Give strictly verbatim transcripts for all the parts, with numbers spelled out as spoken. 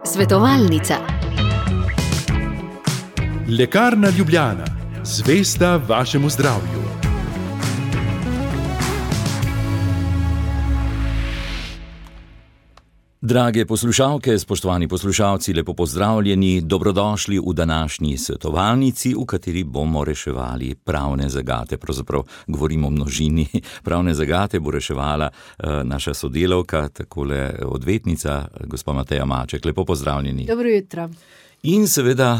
Svetovalnica. Lekarna Ljubljana, zvesta vašemu zdravju. Drage poslušalke, spoštovani poslušalci, lepo pozdravljeni, dobrodošli v današnji svetovalnici, v kateri bomo reševali pravne zagate. Pravzaprav govorimo o množini. Pravne zagate bo reševala uh, naša sodelavka, takole odvetnica, gospa Mateja Maček. Lepo pozdravljeni. Dobro jutro. In seveda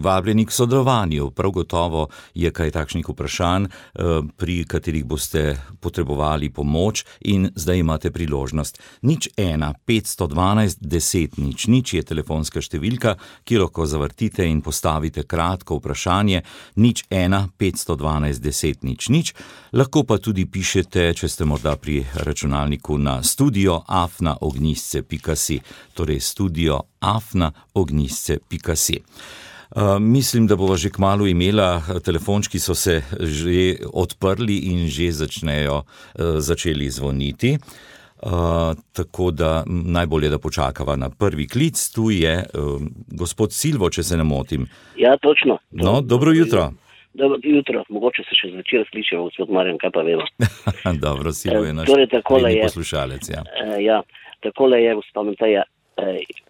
vabljeni k sodelovanju. Prav gotovo je kaj takšnih vprašanj, pri katerih boste potrebovali pomoč in zdaj imate priložnost. Nič ena, petsto dvanajst, deset, nič, nič je telefonska številka, ki lahko zavrtite in postavite kratko vprašanje. Nič ena, petsto dvanajst, deset, nič, nič. Lahko pa tudi pišete, če ste morda pri računalniku, na studio afna ognjisce pika si, torej studio afna ognjisce pika si. Uh, mislim, da bova že kmalu imela, telefončki so se že odprli in že začnejo, uh, začeli zvoniti. Uh, tako da najbolje, da počakava na prvi klic. Tu je uh, gospod Silvo, če se ne motim. Ja, točno. No, dobro jutro. Dobro jutro, mogoče se še zvečer slišimo, gospod Marjan, kaj pa vemo. Dobro, Silvo je naš torej, redni poslušalec. Ja, uh, ja takole je, gospod Mateja.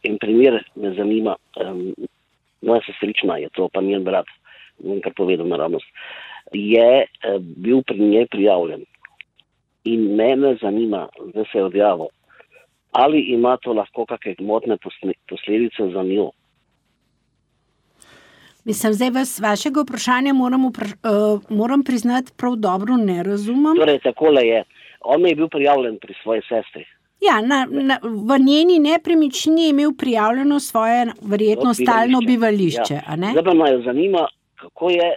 In primer me zanima, um, moja sestrična je to, pa njen brat, bom kar povedal naravnost, je uh, bil pri njej prijavljen. In mene zanima, da se je odjavil, ali ima to lahko kakšne gmotne posledice za njo. Mislim, zdaj vas vašega vprašanja moram, vpraš uh, moram priznati prav dobro ne razumem. Torej, takole je, on je bil prijavljen pri svoji sestri. Ja, na, na, v njeni nepremičnini je imel prijavljeno svoje verjetno bivališče. Stalno bivališče. Ja. Zdaj pa me zanima, kako je,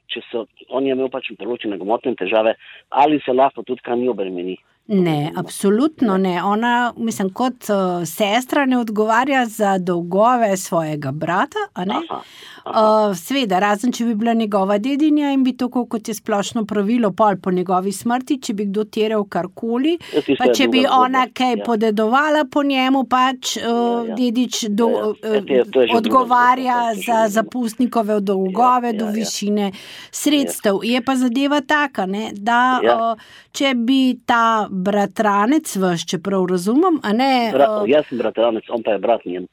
če so, on je imel pač določene gmotne težave, ali se lahko tudi kaj ni obremeni. Ne, absolutno ne. Ona, mislim, kot uh, sestra ne odgovarja za dolgove svojega brata, a ne? Aha, aha. Uh, sveda, razen če bi bila njegova dedinja in bi to, kot je splošno pravilo, pol po njegovi smrti, če bi kdo terjal karkoli, ja, pa če bi ona kaj ja. podedovala po njemu, pač uh, ja, ja. dedič do, ja, ja. Ja, to je, to je odgovarja drugo, za zapustnikove dolgove ja, ja, do višine ja. sredstev. Ja. Je pa zadeva taka, ne, da ja. uh, če bi ta bratranec vaš, če prav razumem, a ne... Bra, jaz sem bratranec, on pa je brat njen.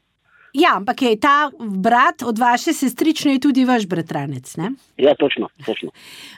Ja, ampak je ta brat od vaše sestrične je tudi vaš bratranec, ne? Ja, točno, točno.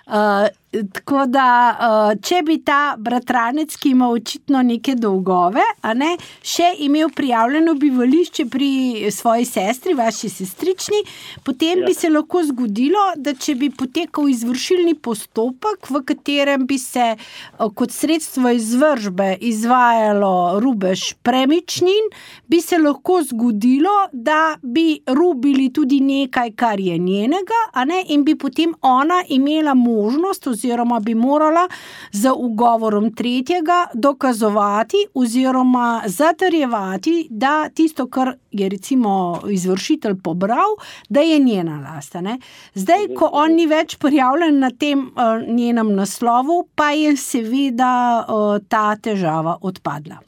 Uh, tako da, uh, če bi ta bratranec, ki ima očitno neke dolgove, a ne, še imel prijavljeno bivališče pri svoji sestri, vaši sestrični, potem ja. bi se lahko zgodilo, da če bi potekal izvršilni postopek, v katerem bi se uh, kot sredstvo izvršbe izvajalo rubež premičnin, bi se lahko zgodilo, da bi rubili tudi nekaj, kar je njenega, a ne, in bi potem ona imela možnost oziroma bi morala z ugovorom tretjega dokazovati oziroma zatrjevati, da tisto, kar je recimo izvršitelj pobral, da je njena last, ne. Zdaj, ko on ni več prijavljen na tem uh, njenem naslovu, pa je seveda uh, ta težava odpadla.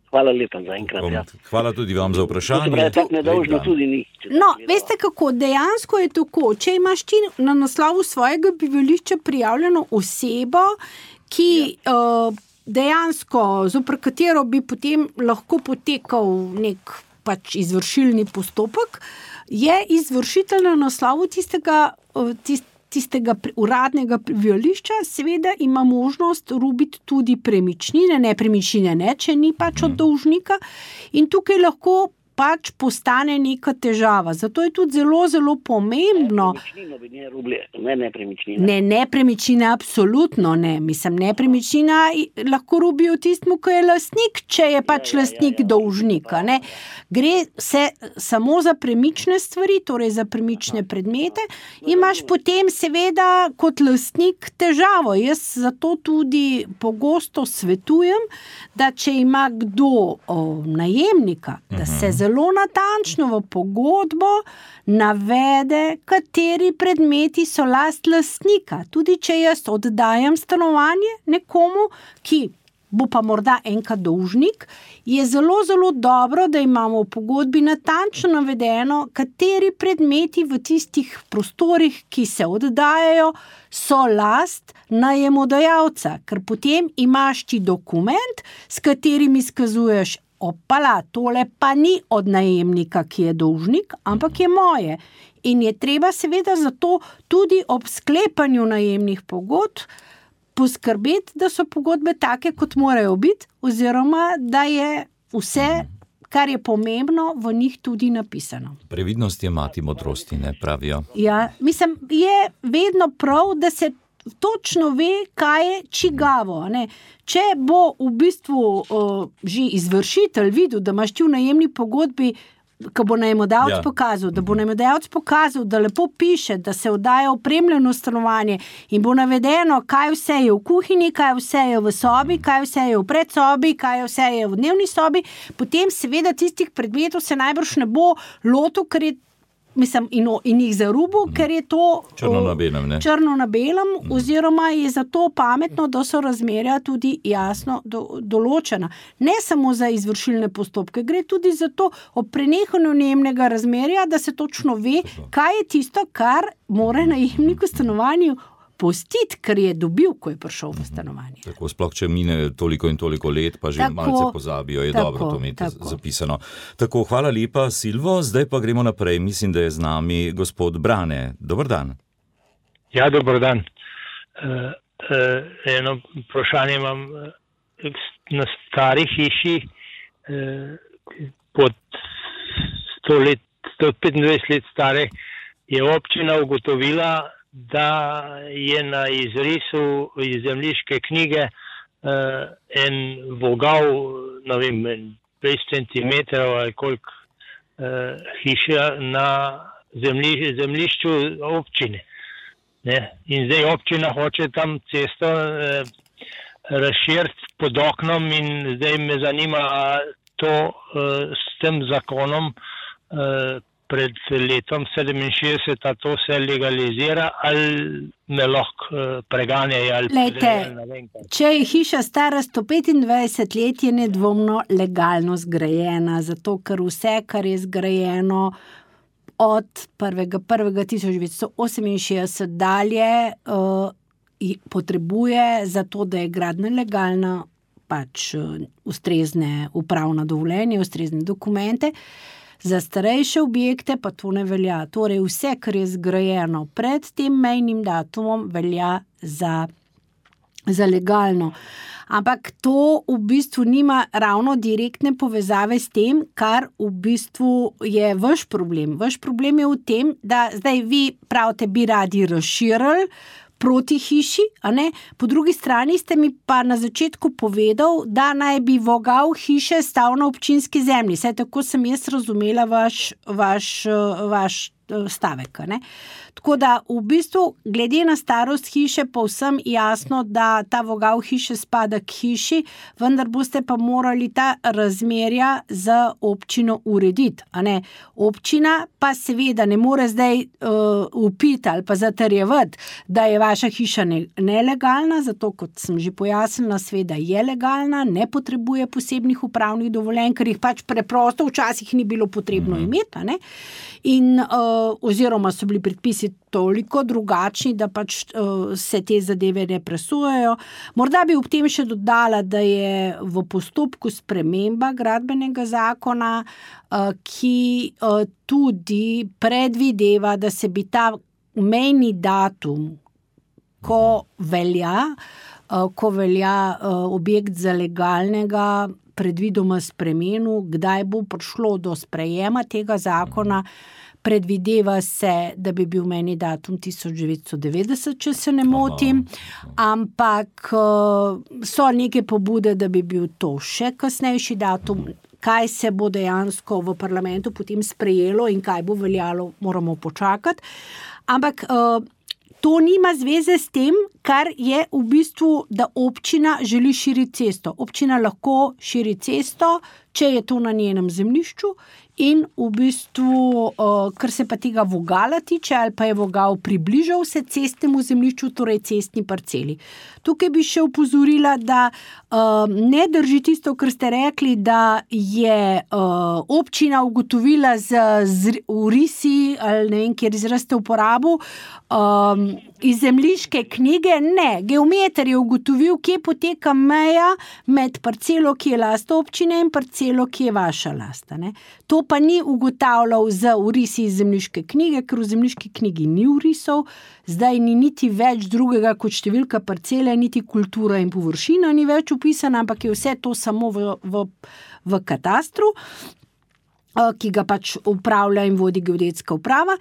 Hvala lepa za enkrat. Ja. Hvala tudi vam za vprašanje. Pravi, tak nedolžno tudi ni. No, veste kako, dejansko je tako, če imaš ti na naslovu svojega bivališča prijavljeno osebo, ki ja. uh, dejansko, zopr katero bi potem lahko potekal nek pač izvršilni postopek, je izvršitelj na naslovu tistega, uh, tist, tistega uradnega bivališča, seveda ima možnost rubiti tudi premičnine, ne premičnine ne, če ni pač od dolžnika, in tukaj lahko pač postane neka težava. Zato je tudi zelo, zelo pomembno. Nepremičnino bi ne rubili, ne nepremičnine. Ne, nepremičnine absolutno ne. Mislim, nepremičnina lahko rubijo tistmu, ko je lastnik, če je pač ja, lastnik ja, ja, dolžnika. Ne. Gre se samo za premične stvari, torej za premične predmete. Imaš potem seveda kot lastnik težavo. Jaz zato tudi pogosto svetujem, da če ima kdo o, najemnika, da se zelo natančno v pogodbo navede, kateri predmeti so last lastnika. Tudi če jaz oddajam stanovanje nekomu, ki bo pa morda enkrat dolžnik, je zelo, zelo dobro, da imamo v pogodbi natančno navedeno, kateri predmeti v tistih prostorih, ki se oddajajo, so last najemodajalca, ker potem imaš ti dokument, s katerim izkazuješ, opala, tole pa ni od najemnika, ki je dolžnik, ampak je moje. In je treba seveda zato tudi ob sklepanju najemnih pogodb poskrbeti, da so pogodbe take, kot morajo biti, oziroma da je vse, kar je pomembno, v njih tudi napisano. Previdnost je mati modrosti, ne pravijo. Ja, mislim, je vedno prav, da se točno ve, kaj je čigavo. Ne? Če bo v bistvu uh, že izvršitelj videl, da imaš ti v najemni pogodbi, ko bo najemodajalec ja. pokazal, da bo najemodajalec pokazal, da lepo piše, da se oddaja opremljeno stanovanje in bo navedeno, kaj vse je v kuhinji, kaj vse je v sobi, kaj vse je v predsobi, kaj vse je v dnevni sobi, potem seveda tistih predmetov se najbrž ne bo lotil, ker je Mislim, in, in jih zarubu, ker je to črno na belem, ne? Črno na belem, oziroma je zato pametno, da so razmerja tudi jasno do, določena. Ne samo za izvršilne postopke, gre tudi za to ob prenehanju najemnega razmerja, da se točno ve, kaj je tisto, kar mora najemnik v stanovanju postiti, ker je dobil, ko je prišel v stanovanje. Tako, sploh, če mine toliko in toliko let, pa že tako, malce pozabijo, je tako, dobro to imeti tako. zapisano. Tako, hvala lepa, Silvo, zdaj pa gremo naprej. Mislim, da je z nami gospod Brane. Dobar dan. Ja, dobar dan. Uh, uh, eno vprašanje imam. Na stari hiši uh, pod sto let, sto petindvajset let stare je občina ugotovila, da je na izrisu iz zemljiške knjige uh, en vogal, ne vem, dvajset centimetrov ali koliko uh, hiša na zemlji, zemljišču občine. Ne? In zdaj občina hoče tam cesto uh, razširiti pod oknom in zdaj me zanima, a to uh, s tem zakonom uh, pred letom sedeminšestdeset, a to se legalizira ali me lahko preganjajo ali Lejte, če je hiša stara sto petindvajset let, je nedvomno legalno zgrajena, zato ker vse, kar je zgrajeno od prvega prvega tisoč devetsto oseminšestdeset dalje, uh, potrebuje za to, da je gradnja legalna, pač uh, ustrezne upravna dovoljenja, ustrezne dokumente. Za starejše objekte pa to ne velja. Torej vse, kar je zgrajeno pred tem mejnim datumom, velja za, za legalno. Ampak to v bistvu nima ravno direktne povezave s tem, kar v bistvu je vaš problem. Vaš problem je v tem, da zdaj vi pravite, bi radi razširili proti hiši, a ne? Po drugi strani ste mi pa na začetku povedal, da naj bi vogal hiše stal na občinski zemlji. Saj tako sem jaz razumela vaš, vaš, vaš stavek, a ne? Tako da v bistvu glede na starost hiše povsem jasno, da ta vogal hiše spada k hiši, vendar boste pa morali ta razmerja z občino urediti, a ne? Občina pa seveda ne more zdaj uh, upiti ali pa zatrjevati, da je vaša hiša ne, nelegalna, zato kot sem že pojasnila, sveda je legalna, ne potrebuje posebnih upravnih dovoljenj, ker jih pač preprosto včasih ni bilo potrebno imeti, a ne? In uh, oziroma so bili predpisi toliko drugačni, da pač uh, se te zadeve ne presujejo. Morda bi ob tem še dodala, da je v postopku sprememba gradbenega zakona, uh, ki uh, tudi predvideva, da se bi ta mejni datum, ko velja, uh, ko velja uh, objekt za legalnega, predvidoma spremenu, kdaj bo prišlo do sprejema tega zakona. Predvideva se, da bi bil meni datum tisoč devetsto devetdeset, če se ne motim, ampak so neke pobude, da bi bil to še kasnejši datum. Kaj se bo dejansko v parlamentu potem sprejelo in kaj bo veljalo, moramo počakati. Ampak to nima zveze s tem, kar je v bistvu, da občina želi širiti cesto. Občina lahko širi cesto, če je to na njenem zemljišču, in v bistvu, kar se pa tega vogala tiče, ali pa je vogal približal se cestnemu zemljišču, torej cestni parceli. Tukaj bi še upozorila, da ne drži tisto, kar ste rekli, da je občina ugotovila z urisi, ali ne vem, kjer izraz ste uporabil, iz zemljiške knjige. Ne, geometer je ugotovil, kje poteka meja med parcelo, ki je last občine, in parcelo, ki je vaša lasta. Ne? To pa ni ugotavljal z urisi iz zemljiške knjige, ker v zemljiški knjigi ni urisov, zdaj ni niti več drugega kot številka parcele, niti kultura in površina ni več upisana, ampak je vse to samo v, v, v katastru, ki ga pač upravlja in vodi geodetska uprava,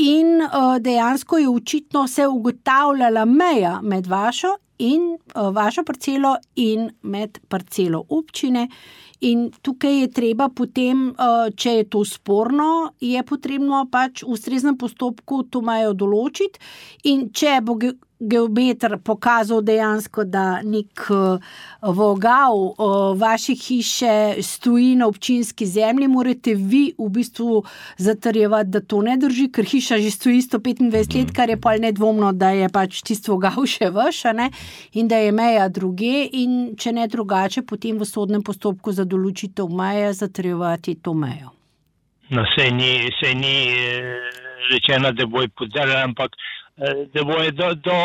in dejansko je očitno se ugotavljala meja med vašo in vašo parcelo in med parcelo občine. In tukaj je treba potem, če je to sporno, je potrebno pač v ustreznem postopku to mejo določiti, in če bo geometer pokazal dejansko, da nek vogal vaše hiše stoji na občinski zemlji, morate vi v bistvu zatrjevati, da to ne drži, ker hiša že stoji sto petindvajset let, kar je pa nedvomno, da je pač tisti vogal še vaš, ne? In da je meja druge, in če ne drugače, potem v sodnem postopku za določitev meje zatrjevati to mejo. No, sej ni, sej ni rečeno, da bojo podarili, ampak da bojo do, do,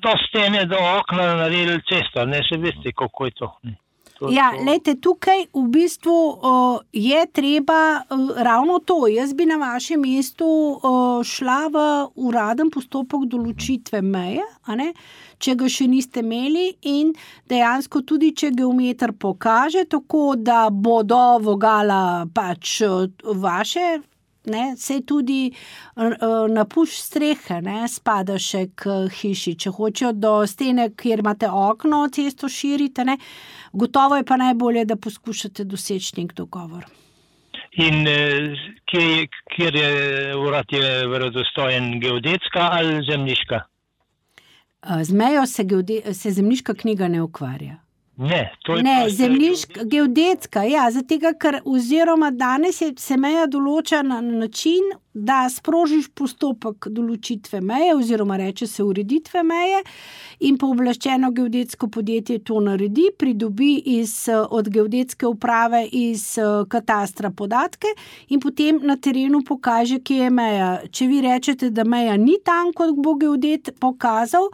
do stene, do okna naredili cesto, ne, se veste, kako je to. To, ja, to... lejte, tukaj v bistvu uh, je treba uh, ravno to. Jaz bi na vašem mestu uh, šla v uraden postopek določitve meje, a ne, če ga še niste imeli, in dejansko tudi, če geometer pokaže tako, da bo do vogala pač uh, vaše, ne, sej tudi napušč strehe, ne, spada še k hiši. Če hočejo do stene, kjer imate okno, cesto širite, ne, gotovo je pa najbolje, da poskušate doseči nek dogovor. In kjer, kjer je urad je verodostojen, geodetska ali zemljiška? Z mejo se, geode, se zemljiška knjiga ne ukvarja. Ne, to je ne, zemljiška, geodetska, ja, zatega, ker oziroma danes je, se meja določa na način, da sprožiš postopek določitve meje oziroma reče se ureditve meje, in pooblaščeno geodetsko podjetje to naredi, pridobi iz, od geodetske uprave iz katastra podatke in potem na terenu pokaže, kje je meja. Če vi rečete, da meja ni tam, kot bo geodet pokazal,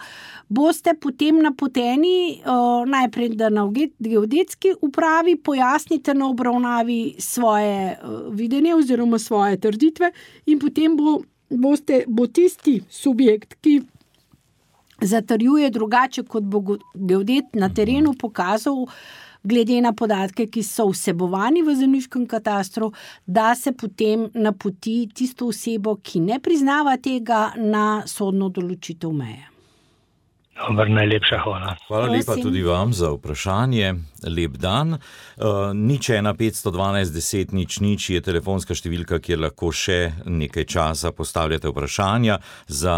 boste potem napoteni uh, najprej, da na geodetski upravi pojasnite na obravnavi svoje uh, videnje oziroma svoje trditve, in potem bo, boste, bo tisti subjekt, ki zatrjuje drugače, kot bo geodet na terenu pokazal, glede na podatke, ki so vsebovani v zemljiškem katastru, da se potem napoti tisto osebo, ki ne priznava tega, na sodno določitev meje. Dobar, najlepša hvala. Hvala lepa tudi vam za vprašanje. Lep dan. Uh, nič ena petsto dvanajst deset nič nič je telefonska številka, kjer lahko še nekaj časa postavljate vprašanja za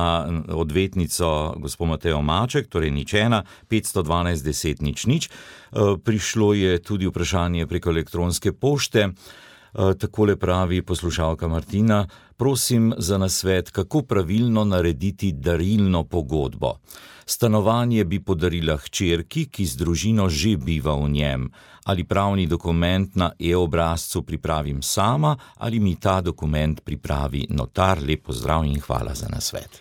odvetnico gospod Matejo Maček, torej nič ena petsto dvanajst deset nič nič. Uh, prišlo je tudi vprašanje preko elektronske pošte. Uh, takole pravi poslušalka Martina: prosim za nasvet, kako pravilno narediti darilno pogodbo. Stanovanje bi podarila hčerki, ki z družino že biva v njem. Ali pravni dokument na e-obrazcu pripravim sama, ali mi ta dokument pripravi notar? Lep pozdrav in hvala za nasvet.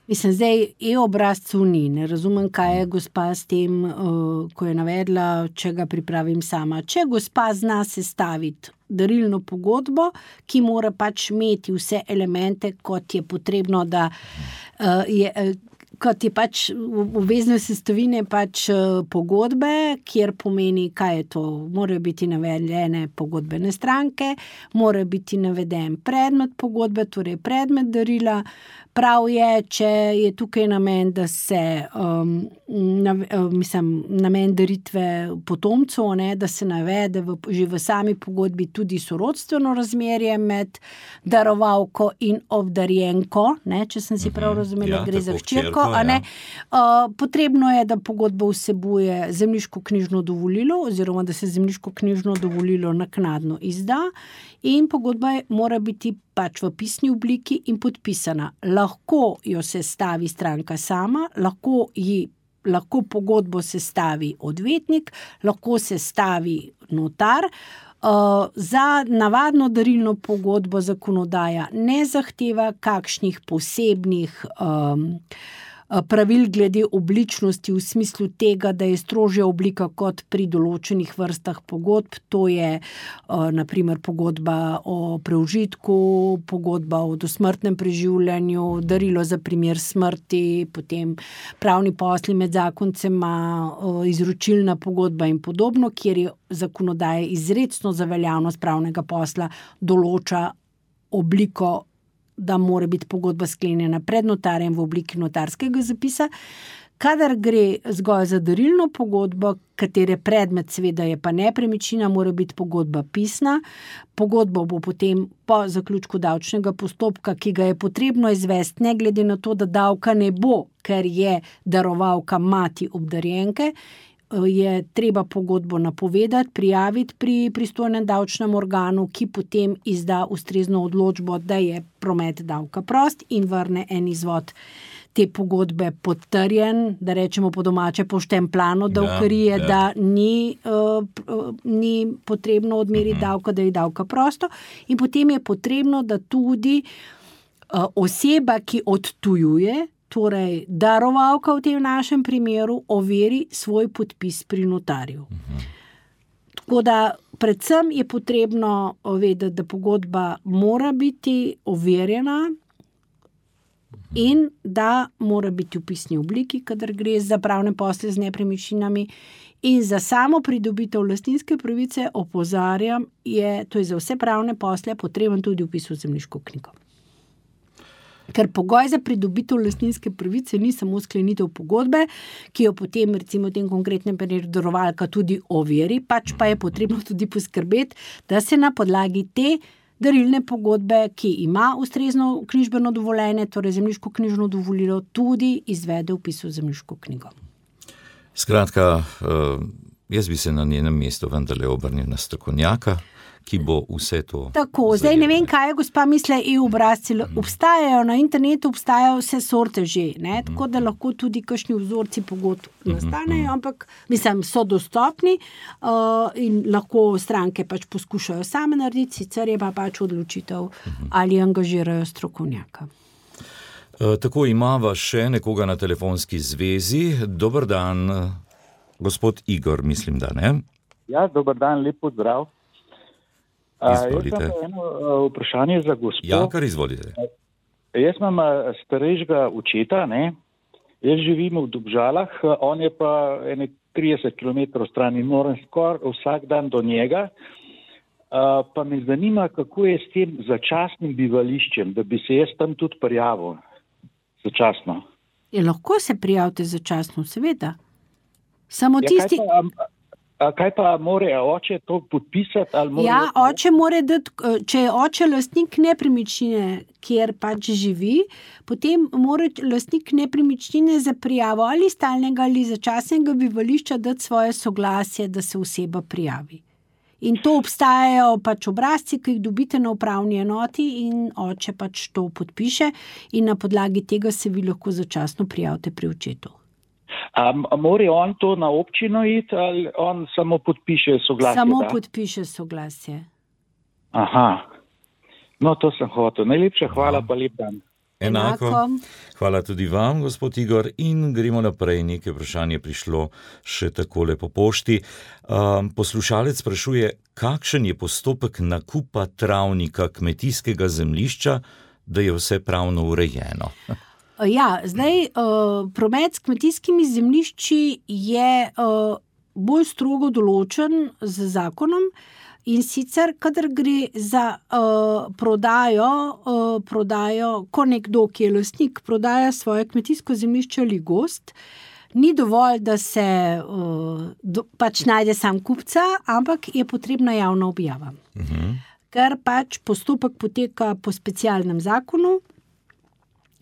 Mislim, zdaj e-obrazcu ni. Ne razumem, kaj je gospa s tem, ko je navedla, če ga pripravim sama. Če gospa zna sestaviti darilno pogodbo, ki mora pač imeti vse elemente, kot je potrebno, da je... kot je pač obvezne sestavine pač pogodbe, kjer pomeni, kaj je to. Morajo biti navedene pogodbene stranke, mora biti naveden predmet pogodbe, torej predmet darila, prav je, če je tukaj namen, da se um, na, mislim, namen daritve potomcev, ne, da se navede v, že v sami pogodbi tudi sorodstveno razmerje med darovalko in obdarjenko, ne, če sem si prav razumela, Ja, gre za tako, hčerko, hčerko, a ne. ja. Uh, potrebno je, da pogodba vsebuje zemljiško-knjižno dovolilo oziroma da se zemljiško-knjižno dovolilo naknadno izda in pogodba je, mora biti pač v pisni obliki in podpisana. Lahko jo sestavi stranka sama, lahko, ji, lahko pogodbo sestavi odvetnik, lahko sestavi notar. Uh, za navadno darilno pogodbo zakonodaja ne zahteva kakšnih posebnih um, pravil glede obličnosti v smislu tega, da je strožja oblika kot pri določenih vrstah pogodb, to je uh, naprimer pogodba o preužitku, pogodba o dosmrtnem preživljanju, darilo za primer smrti, potem pravni posli med zakoncema, uh, izročilna pogodba in podobno, kjer je zakonodaja izrecno za veljavnost pravnega posla določa obliko, da mora biti pogodba sklenjena pred notarjem v obliki notarskega zapisa. Kadar gre zgolj za darilno pogodbo, katere predmet seveda je pa nepremičnina, mora biti pogodba pisna. Pogodbo bo potem po zaključku davčnega postopka, ki ga je potrebno izvesti, ne glede na to, da davka ne bo, ker je darovalka mati obdarjenke, je treba pogodbo napovedati, prijaviti pri pristojnem davčnem organu, ki potem izda ustrezno odločbo, da je promet davka prost in vrne en izvod te pogodbe potrjen, da rečemo po domače poštempljano davkarije, ja. da ni, uh, ni potrebno odmeriti davka, da je davka prosto. In potem je potrebno, da tudi uh, oseba, ki odtujuje, torej darovalka v tem našem primeru, overi svoj podpis pri notarju. Uh-huh. Tako da predvsem je potrebno vedeti, da pogodba mora biti overjena in da mora biti v pisni obliki, kadar gre za pravne posle z nepremičninami. In za samo pridobitev lastninske pravice, opozarjam, je, to je za vse pravne posle potreben tudi vpis v zemljiško knjigo. Ker pogoj za pridobitev lastninske pravice ni samo sklenitev pogodbe, ki jo potem recimo v tem konkretnem primeru darovalka tudi overi, pač pa je potrebno tudi poskrbeti, da se na podlagi te darilne pogodbe, ki ima ustrezno knjižbeno dovoljenje, torej zemljiško knjižno dovolilo, tudi izvede vpis v zemljiško knjigo. Skratka, jaz bi se na njenem mestu vendarle obrnil na strokovnjaka, ki bo vse to... Tako, zdaj ne vem, kaj je gospa misle e-obrazci. Obstajajo na internetu, obstajajo vse sorte že, ne? Tako da lahko tudi kakšni vzorci pogodb nastanejo, ampak mislim, so dostopni uh, in lahko stranke pač poskušajo same narediti, sicer je pa pač odločitev, ali angažirajo strokovnjaka. Uh, tako imava še nekoga na telefonski zvezi. Dober dan, gospod Igor, mislim, da ne? Ja, dober dan, lep pozdrav. Izvolite. Uh, jaz imam eno uh, vprašanje za gospod. Ja, kar izvolite. Uh, jaz imam uh, starejšega očeta, ne? Jaz živim v Dobžalah, uh, on je pa ene trideset kilometrov stran in moram skoraj vsak dan do njega. Uh, pa me zanima, kako je s tem začasnim bivališčem, da bi se jaz tam tudi prijavil začasno. Je, lahko se prijavite začasno, seveda. Samo Ja, tisti... kaj pa, a kaj pa more oče to podpisati? Ali more... Ja, oče more dati, če je oče lastnik nepremičnine, kjer pač živi, potem mora lastnik nepremičnine za prijavo ali stalnega ali začasnega bivališča dati svoje soglasje, da se oseba prijavi. In to obstajajo pač obrazci, ki jih dobite na upravni enoti in oče pač to podpiše in na podlagi tega se vi lahko začasno prijavite pri očetu. A, a more on to na občino iti ali on samo podpiše soglasje? Samo da? podpiše soglasje. Aha, no to sem hotel. Najlepša hvala, pa lep dan. Enako. Enako. Hvala tudi vam, gospod Igor, in gremo naprej. Nekaj vprašanje prišlo še takole po pošti. Um, poslušalec sprašuje, kakšen je postopek nakupa travnika kmetijskega zemljišča, da je vse pravno urejeno? Ja, zdaj uh, promet s kmetijskimi zemljišči je uh, bolj strogo določen z zakonom In sicer, kadar gre za uh, prodajo, uh, prodajo, ko nekdo, ki je lastnik, prodaja svoje kmetijsko zemljišče ali gozd, ni dovolj, da se uh, do, pač najde sam kupca, ampak je potrebna javna objava. Uh-huh. Ker pač postopek poteka po specialnem zakonu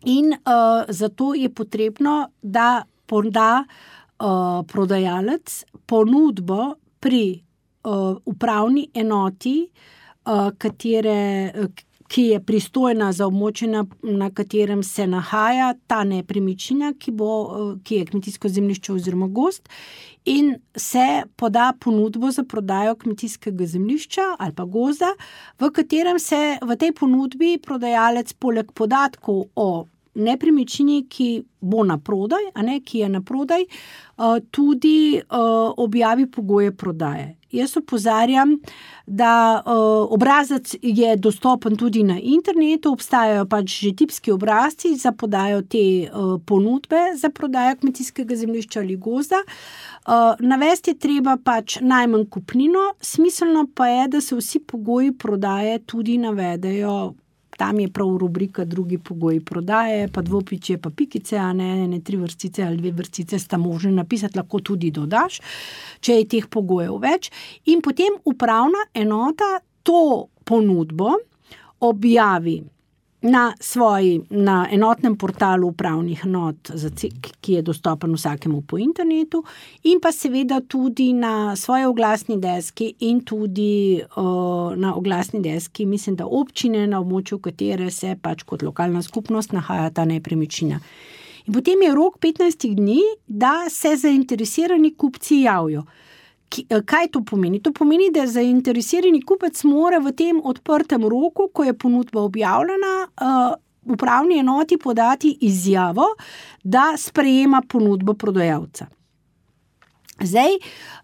in uh, zato je potrebno, da poda uh, prodajalec ponudbo pri uh, upravni enoti, uh, katere, ki je pristojna za območje, na, na katerem se nahaja ta nepremičnina, ki, bo, uh, ki je kmetijsko zemljišče oziroma gozd, in se poda ponudbo za prodajo kmetijskega zemljišča ali pa gozda, v katerem se v tej ponudbi prodajalec poleg podatkov o nepremičnini, ki bo na prodaj, a ne, ki je na prodaj, tudi objavi pogoje prodaje. Jaz opozarjam, da obrazec je dostopen tudi na internetu, obstajajo pač že tipski obrazci za podajo te ponudbe za prodajo kmetijskega zemljišča ali gozda. Navesti je treba pač najmanj kupnino, smiselno pa je, da se vsi pogoji prodaje tudi navedejo. Tam je prav rubrika drugi pogoji prodaje, pa dvopičje, pa pikice, a ne, ne tri vrstice ali dve vrstice sta možne napisati, lahko tudi dodaš, če je teh pogojev več. In potem upravna enota to ponudbo objavi na svoji, na enotnem portalu upravnih enot, ki je dostopen vsakemu po internetu, in pa seveda tudi na svoji oglasni deski in tudi uh, na oglasni deski, mislim, da občine, na območju katere se pač kot lokalna skupnost nahaja ta nepremičnina. In potem je rok petnajst dni, da se zainteresirani kupci javijo. Kaj to pomeni? To pomeni, da zainteresirani kupec mora v tem odprtem roku, ko je ponudba objavljena, upravni enoti podati izjavo, da sprejema ponudbo prodajalca. Zdaj,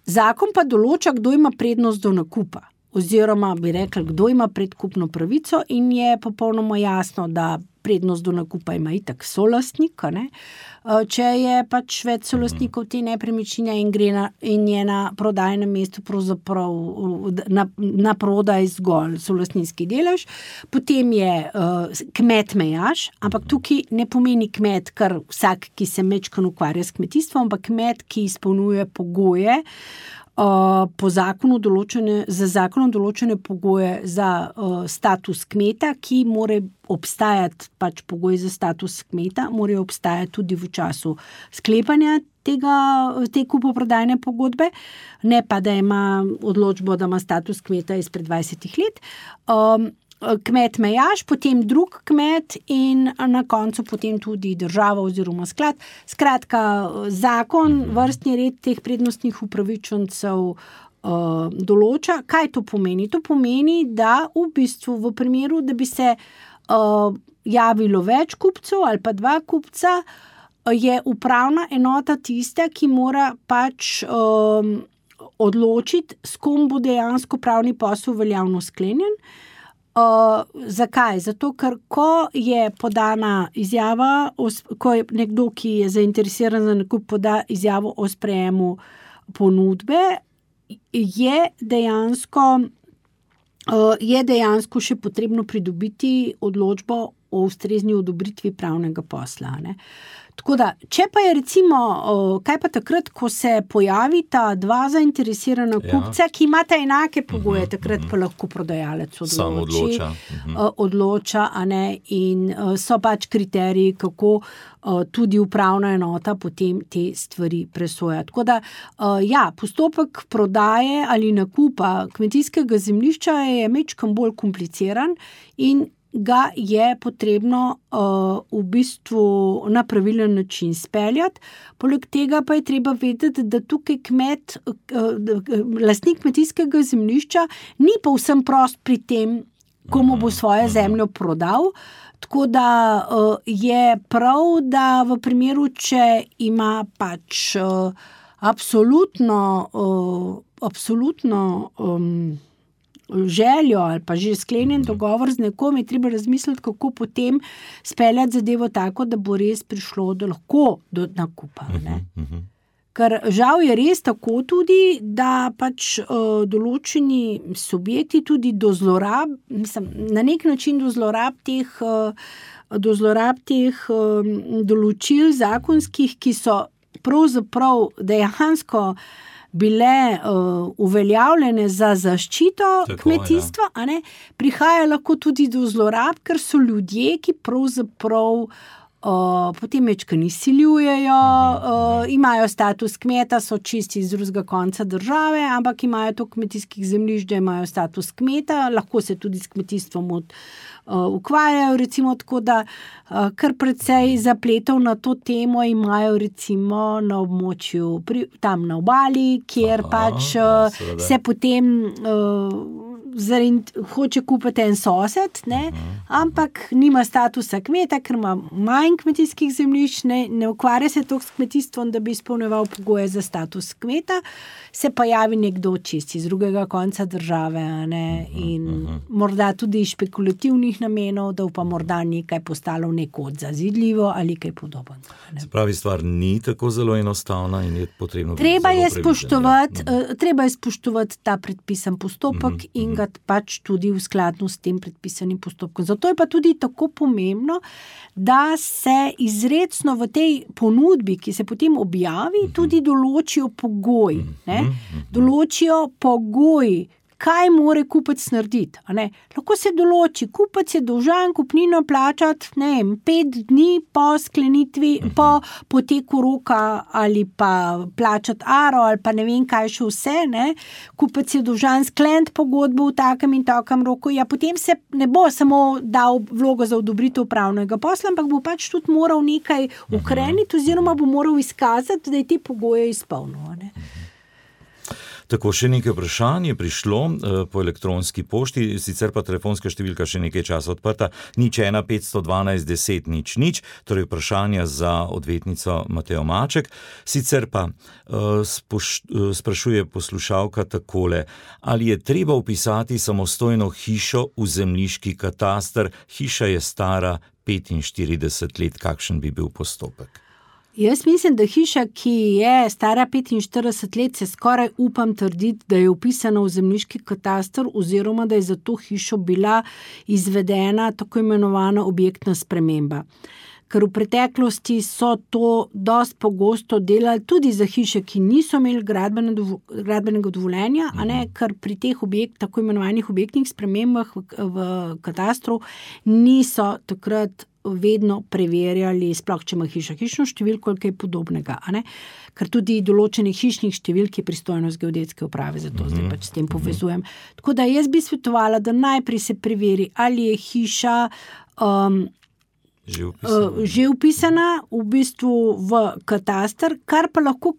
zakon pa določa, kdo ima prednost do nakupa, oziroma bi rekli, kdo ima predkupno pravico, in je popolnoma jasno, da prednost do nakupa ima itak solastnik, ne? Če je pač več solastnikov te nepremičnine in gre na, in je na prodajnem mestu pravzaprav na, na prodaj zgolj solastninski delež, potem je uh, kmet mejaš, ampak tukaj ne pomeni kmet, kar vsak, ki se mečkano ukvarja s kmetijstvom, ampak kmet, ki izpolnjuje pogoje, Uh, po zakonu določene, za zakonom določene pogoje za uh, status kmeta, ki mora obstajati, pač pogoji za status kmeta, morajo obstajati tudi v času sklepanja tega, te kupoprodajne pogodbe, ne pa, da ima odločbo, da ima status kmeta izpred dvajsetih let. Um, kmet mejaš, potem drug kmet in na koncu potem tudi država oziroma sklad. Skratka, zakon, vrstni red teh prednostnih upravičencev uh, določa. Kaj to pomeni? To pomeni, da v bistvu v primeru, da bi se uh, javilo več kupcev ali pa dva kupca, je upravna enota tista, ki mora pač um, odločiti, s kom bo dejansko pravni posel veljavno sklenjen. Uh, zakaj? Zato, ker ko je podana izjava, ko je nekdo, ki je zainteresiran za nakup, poda izjavo o sprejemu ponudbe, je dejansko, uh, je dejansko še potrebno pridobiti odločbo o ustrezni odobritvi pravnega posla, ne? Tako da, če pa je recimo, kaj pa takrat, ko se pojavita dva zainteresirana kupca, ja, ki imata enake pogoje, uh-huh, takrat pa lahko prodajalec odloči, Sam odloča, uh-huh. odloča, a ne, in so pač kriteriji, kako tudi upravna enota potem te stvari presoja. Tako da, ja, postopek prodaje ali nakupa kmetijskega zemljišča je majčkeno bolj kompliciran in ga je potrebno uh, v bistvu na pravilen način speljati. Poleg tega pa je treba vedeti, da tukaj kmet, uh, lastnik kmetijskega zemljišča ni povsem prost pri tem, komu bo svojo zemljo prodal. Tako da uh, je prav, da v primeru, če ima pač uh, absolutno, uh, absolutno um, željo ali pa že sklenjen dogovor z nekom, je treba razmisliti, kako potem speljati zadevo tako, da bo res prišlo do lahko do nakupa. Ne? Ker žal je res tako tudi, da pač uh, določeni subjekti tudi do zlorab, mislim, na nek način do zlorab teh, uh, do zlorab teh uh, določil zakonskih, ki so pravzaprav dejansko bile uh, uveljavljene za zaščito tako, kmetijstva, ja. a ne, prihaja lahko tudi do zlorab, ker so ljudje, ki pravzaprav Uh, potem mečkani siljujejo, uh, imajo status kmeta, so čisti iz drugega konca države, ampak imajo to kmetijskih zemljišč, da imajo status kmeta, lahko se tudi s kmetijstvom od, uh, ukvarjajo, recimo tako, da uh, kar precej zapletov na to temo imajo recimo na območju, pri, tam na obali, kjer Aha, pač uh, ja, se potem uh, Zaradi, hoče kupiti en sosed, ne? Ampak nima statusa kmeta, ker ima manj kmetijskih zemljišč, ne, ne ukvarja se toliko s kmetijstvom, da bi izpolnjeval pogoje za status kmeta, se pa javi nekdo čisti iz drugega konca države, ne? In morda tudi iz špekulativnih namenov, da pa morda nekaj postalo nekod zazidljivo ali kaj podobno. Se pravi, stvar ni tako zelo enostavna in je potrebno treba je spoštovati, uh, treba je spoštovati ta predpisan postopek mm-hmm. in ga pač tudi v skladnu s tem predpisanim postopkom. Zato je pa tudi tako pomembno, da se izrecno v tej ponudbi, ki se potem objavi, tudi določijo pogoji. Ne? Določijo pogoji, kaj more kupec narediti. A ne? Lahko se določi, kupec je dolžan kupnino plačati, ne vem, pet dni po sklenitvi, po poteku roka ali pa plačati aro ali pa ne vem kaj še vse, ne. Kupec je dolžan skleniti pogodbo v takem in takem roku, ja potem se ne bo samo dal vlogo za odobritev pravnega posla, ampak bo pač tudi moral nekaj ukreniti oziroma bo moral izkazati, da je te pogoje izpolnil, ne. Tako, še nekaj vprašanj je prišlo uh, po elektronski pošti, sicer pa telefonska številka še nekaj časa odprta, nič ena petsto dvanajst deset nič nič, torej vprašanja za odvetnico Matejo Maček. Sicer pa uh, spoš, uh, sprašuje poslušalka takole, ali je treba vpisati samostojno hišo v zemljiški kataster, hiša je stara petinštirideset let, kakšen bi bil postopek? Jaz mislim, da hiša, ki je stara petinštirideset let, se skoraj upam trditi, da je vpisana v zemljiški kataster oziroma da je za to hišo bila izvedena tako imenovana objektna sprememba. Ker v preteklosti so to dosti pogosto delali tudi za hiše, ki niso imeli gradbene dovo, gradbenega dovoljenja, a ne, ker pri teh objekt, tako imenovanih objektnih spremembah v, v katastru niso takrat vedno preverjali, sploh če ima hiša hišno številko ali kaj podobnega, a ne? Ker tudi določenih hišnih številk je pristojnost geodetske uprave, zato mm-hmm. zdaj pač s tem povezujem. Tako da jaz bi svetovala, da najprej se preveri, ali je hiša um, Že upisana. Uh, že upisana v bistvu v kataster, kar pa lahko,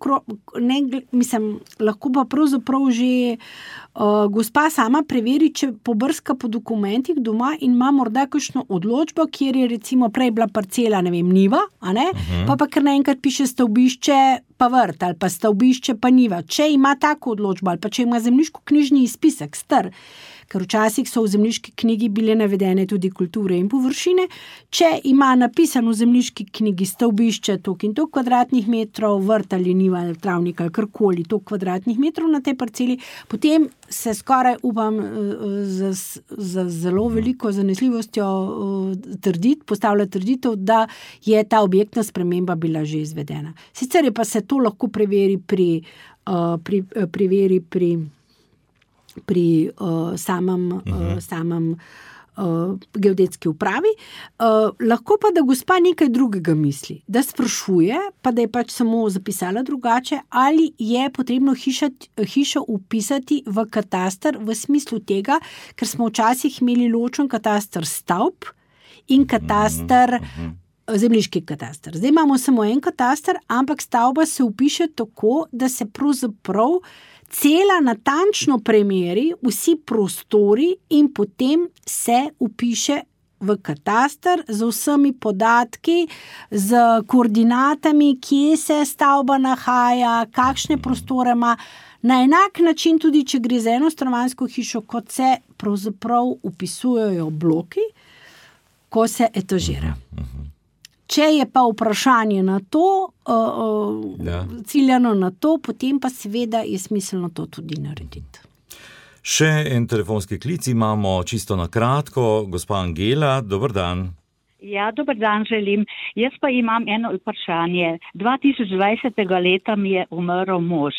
ne, mislim, lahko pa pravzaprav že uh, gospa sama preveri, če pobrska po dokumentih doma in ima morda kakšno odločbo, kjer je recimo prej bila parcela, ne vem, njiva, a ne, uh-huh. pa pa kar naenkrat piše stavbišče pa vrt ali pa stavbišče pa njiva. Če ima tako odločbo ali pa če ima zemljiško-knjižni izpisek star, ker včasih so v zemljiški knjigi bile navedene tudi kulture in površine, če ima napisano v zemljiški knjigi stavbišče toliko in toliko kvadratnih metrov, vrt ali njiva ali travnik ali karkoli toliko kvadratnih metrov na tej parceli, potem se skoraj upam z, z zelo veliko zanesljivostjo trditi, postavlja trditev, da je ta objektna sprememba bila že izvedena. Sicer je pa se to lahko preveri pri, uh, pri, uh, preveri pri pri uh, samem, uh, samem uh, geodetski upravi. Uh, lahko pa, da gospa nekaj drugega misli, da sprašuje, pa da je pač samo zapisala drugače, ali je potrebno hiša, hišo upisati v kataster v smislu tega, ker smo včasih imeli ločen kataster stavb in kataster zemljiški kataster. Zdaj imamo samo en kataster, ampak stavba se upiše tako, da se pravzaprav cela natančno premeri vsi prostori in potem se upiše v kataster z vsemi podatki, z koordinatami, kje se stavba nahaja, kakšne prostore ima. Na enak način tudi, če gre za eno stanovanjsko hišo, kot se pravzaprav upisujejo bloki, ko se etažira. Če je pa vprašanje na to, uh, uh, ja. ciljano na to, potem pa seveda je smiselno to tudi narediti. Še en telefonski klic imamo čisto na kratko. Gospa Angela, dober dan. Ja, dober dan želim. Jaz pa imam eno vprašanje. dva tisoč dvajsetega leta mi je umrl mož.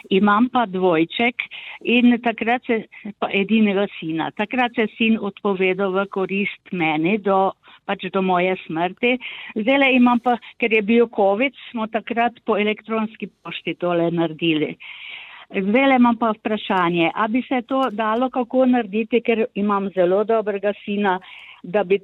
Imam pa dvojček in takrat se, pa edinega sina. Takrat se sin odpovedal v korist meni do pač do moje smrti. Zdaj imam pa, ker je bil COVID, smo takrat po elektronski pošti tole naredili. Zdaj imam pa vprašanje, a bi se to dalo kako narediti, ker imam zelo dobrega sina, da bi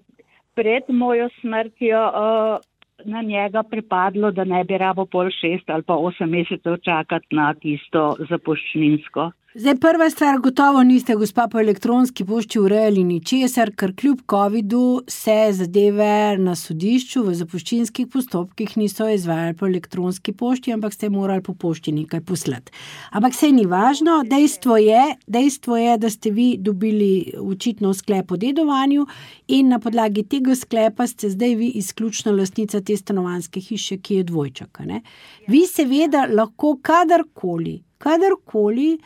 pred mojo smrtjo uh, na njega pripadlo, da ne bi rabo pol šest ali pa osem mesecev čakati na tisto zapuščninsko. Zdaj, prva stvar, gotovo niste, gospa, po elektronski pošti urejali ničesar, ker kljub covidu se zadeve na sodišču v zapuščinskih postopkih niso izvajali po elektronski pošti, ampak ste morali po pošti nekaj poslati. Ampak saj ni važno, dejstvo je, dejstvo je, da ste vi dobili očitno sklep o dedovanju in na podlagi tega sklepa ste zdaj vi izključna lastnica te stanovanjske hiše, ki je dvojček. Ne? Vi seveda lahko kadarkoli, kadarkoli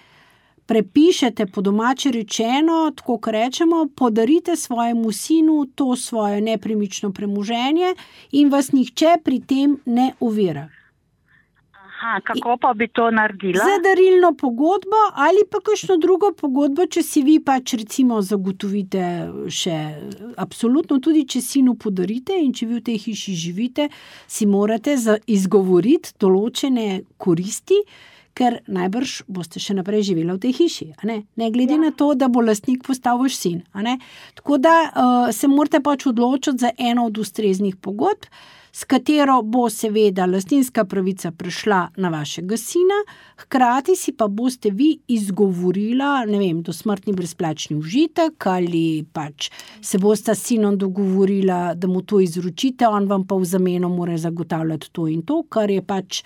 prepišete, po domače rečeno, tako kot rečemo, podarite svojemu sinu to svoje nepremično premoženje in vas nihče pri tem ne ovira. Aha, kako pa bi to naredila? Za darilno pogodbo ali pa kakšno drugo pogodbo, če si vi pač recimo zagotovite še, absolutno tudi, če sinu podarite in če vi v tej hiši živite, si morate izgovoriti določene koristi, ker najbrž boste še naprej živela v tej hiši, a ne? Ne glede ja. na to, da bo lastnik postal vaš sin, a ne? Tako da uh, se morate pač odločiti za eno od ustreznih pogodb, s katero bo seveda lastninska pravica prešla na vašega sina, hkrati si pa boste vi izgovorila, ne vem, dosmrtni brezplačni užitek ali pač se boste s sinom dogovorila, da mu to izročite, on vam pa v zameno mora zagotavljati to in to, kar je pač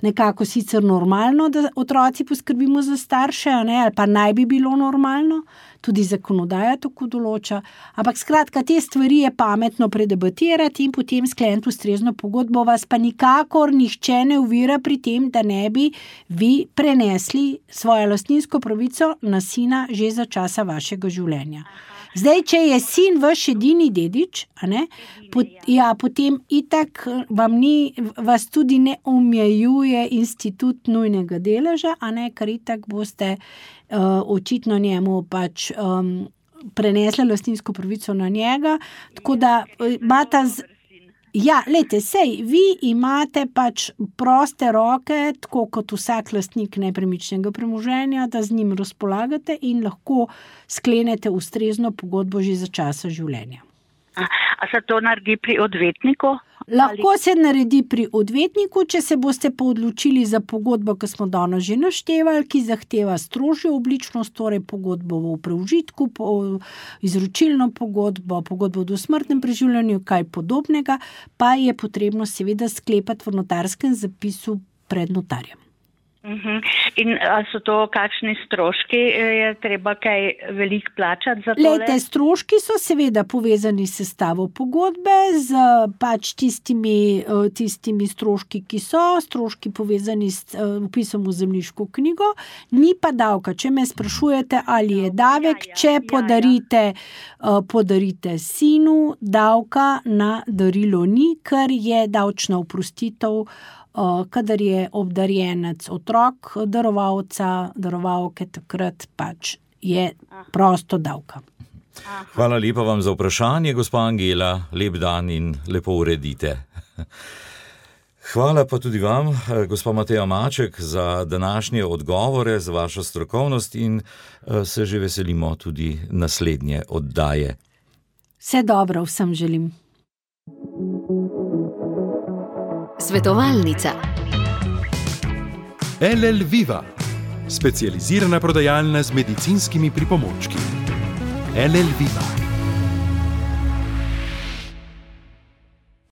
nekako sicer normalno, da otroci poskrbimo za starše, ne, ali pa naj bi bilo normalno, tudi zakonodaja tako določa, ampak skratka, te stvari je pametno predebatirati in potem skleniti ustrezno pogodbo, vas pa nikakor nihče ne ovira pri tem, da ne bi vi prenesli svojo lastninsko pravico na sina že za časa vašega življenja. Zdaj, če je sin vaš edini dedič, a ne, pot, ja, potem itak vam ni, vas tudi ne omejuje institut nujnega deleža, a ne, ker itak boste uh, očitno njemu pač um, prenesli lastninsko pravico na njega, tako da imata z... Ja, lejte, sej, vi imate pač proste roke, tako kot vsak lastnik nepremičnega premoženja, da z njim razpolagate in lahko sklenete ustrezno pogodbo že za časa življenja. A, a se to naredi pri odvetniku? Lahko se naredi pri odvetniku, če se boste pa odločili za pogodbo, ki smo danes že naštevali, ki zahteva strožjo obličnost, torej pogodbo v preužitku, po, izročilno pogodbo, pogodbo v dosmrtnem preživljanju, kaj podobnega, pa je potrebno seveda sklepati v notarskem zapisu pred notarjem. Uh-huh. In a so to kakšni stroški, je treba kaj veliko plačati za tole? Lejte, stroški so seveda povezani s sestavo pogodbe, z pač tistimi, tistimi stroški, ki so, stroški povezani s vpisom v zemljiško knjigo, ni pa davka. Če me sprašujete, ali je davek, če podarite, podarite sinu, davka na darilo ni, ker je davčna oprostitev, kadar je obdarjenec otrok darovalca, darovalke, takrat pač je prosto davka. Hvala lepa vam za vprašanje, gospa Angela, lep dan in lepo uredite. Hvala pa tudi vam, gospa Mateja Maček, za današnje odgovore, za vašo strokovnost in se že veselimo tudi naslednje oddaje. Vse dobro vsem želim. Svetovalnica. L L Viva, specializirana prodajalna z medicinskimi pripomočki. L L Viva.